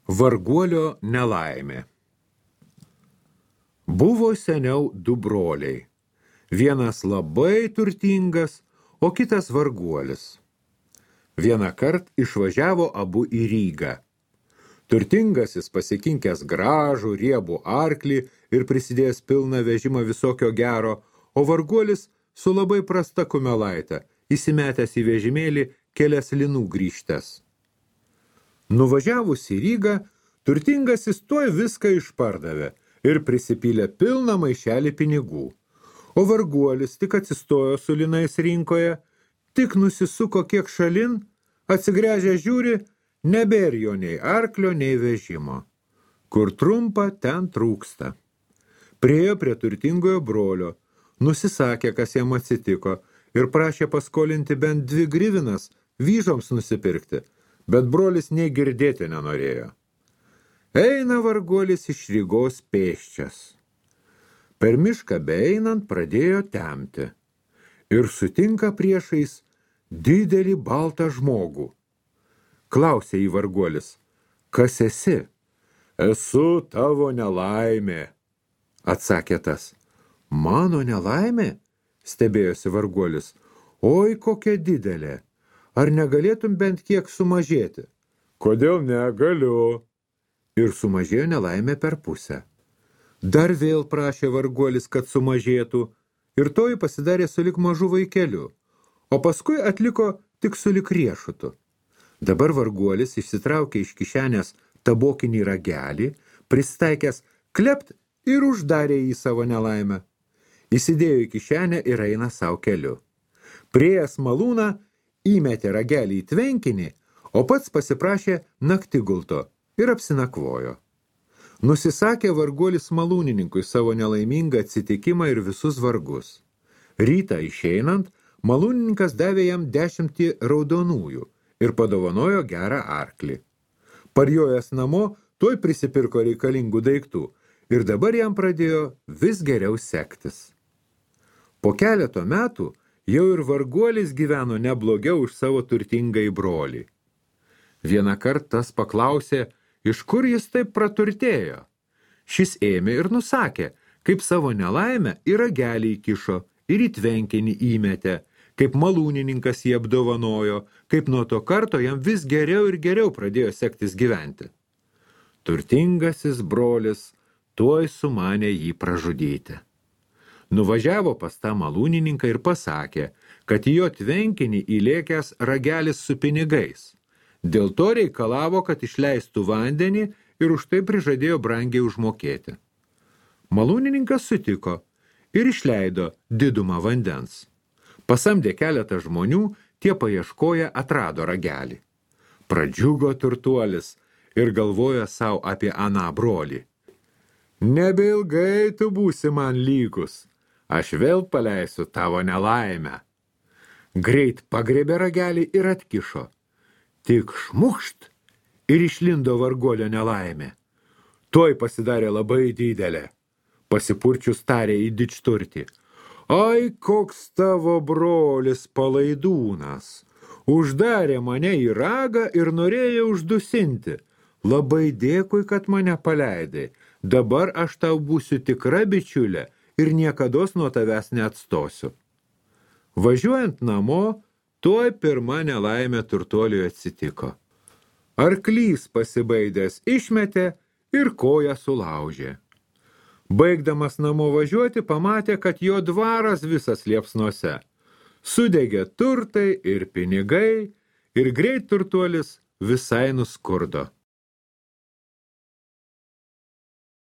Varguolio nelaimė. Buvo seniau du broliai. Vienas labai turtingas, o kitas varguolis. Vieną kart išvažiavo abu į Rygą. Turtingasis pasikinkęs gražų, riebų arklį ir prisidėjęs pilną vežimą visokio gero, o varguolis su labai prasta kumelaite, įsimetęs į vežimėlį kelias linų grįžtes. Nuvažiavus į Rygą, turtingasis tuoj viską išpardavė ir prisipylė pilną maišelį pinigų. O varguolis tik atsistojo su linais rinkoje, tik nusisuko kiek šalin, atsigręžę žiūri, nebėr jo nei arklio, nei vežimo. Kur trumpa, ten trūksta. Priėjo prie turtingojo brolio, nusisakė, kas jam atsitiko, ir prašė paskolinti bent 2 grivinas vyžoms nusipirkti, bet brolis nei girdėti nenorėjo. Eina varguolis iš Rygos pėsčias. Per mišką beeinant pradėjo temti ir sutinka priešais didelį baltą žmogų. Klausė į varguolis, kas esi? Esu tavo nelaimė, atsakė tas. Mano nelaimė? Stebėjosi varguolis. Oi, kokia didelė. Ar negalėtum bent kiek sumažėti? Kodėl negaliu? Ir sumažėjo nelaimė per pusę. Dar vėl prašė varguolis, kad sumažėtų, ir toji pasidarė sulik mažu vaikeliu, o paskui atliko tik sulik riešutu. Dabar varguolis išsitraukė iš kišenės tabokinį ragelį, pristaikęs klept ir uždarė į savo nelaimę. Įsidėjo į kišenę ir eina savo keliu. Priėjęs malūną, įmetė ragelį į tvenkinį, o pats pasiprašė naktigulto ir apsinakvojo. Nusisakė varguolis malūnininkui savo nelaimingą atsitikimą ir visus vargus. Rytą išeinant, malūnininkas davė jam 10 raudonųjų ir padovanojo gerą arklį. Parjojęs namo, tuoj prisipirko reikalingų daiktų ir dabar jam pradėjo vis geriau sektis. Po keleto metų jau ir varguolis gyveno neblogiau už savo turtingąjį brolį. Vieną kartą tas paklausė, iš kur jis taip praturtėjo. Šis ėmė ir nusakė, kaip savo nelaimę į ragelį įkišo ir į tvenkinį įmetė, kaip malūnininkas jį apdovanojo, kaip nuo to karto jam vis geriau ir geriau pradėjo sektis gyventi. Turtingasis brolis tuoj sumanė jį pražudyti. Nuvažiavo pas tą malūnininką ir pasakė, kad į jo tvenkinį įlėkęs ragelis su pinigais. Dėl to reikalavo, kad išleistų vandenį ir už tai prižadėjo brangiai užmokėti. Malūnininkas sutiko ir išleido didumą vandens. Pasamdė keletą žmonių, tie paieškoję atrado ragelį. Pradžiugo turtuolis ir galvojo savo apie aną brolį. Nebeilgai tu būsi man lygus, aš vėl paleisiu tavo nelaimę. Greit pagriebė ragelį ir atkišo. Tik šmukšt ir išlindo varguolio nelaimė. Tuoj pasidarė labai didelė. Pasipurčius tarė į didžturtį. Ai, koks tavo brolis palaidūnas. Uždarė mane į ragą ir norėjo uždusinti. Labai dėkui, kad mane paleidai. Dabar aš tau būsiu tikra bičiulė ir niekados nuo tavęs neatstosiu. Važiuojant namo, tuoj pirma nelaimė turtuoliui atsitiko. Arklys pasibaidęs išmetė ir koją sulaužė. Baigdamas namo važiuoti, pamatė, kad jo dvaras visas liepsnose. Sudegė turtai ir pinigai ir greit turtuolis visai nuskurdo.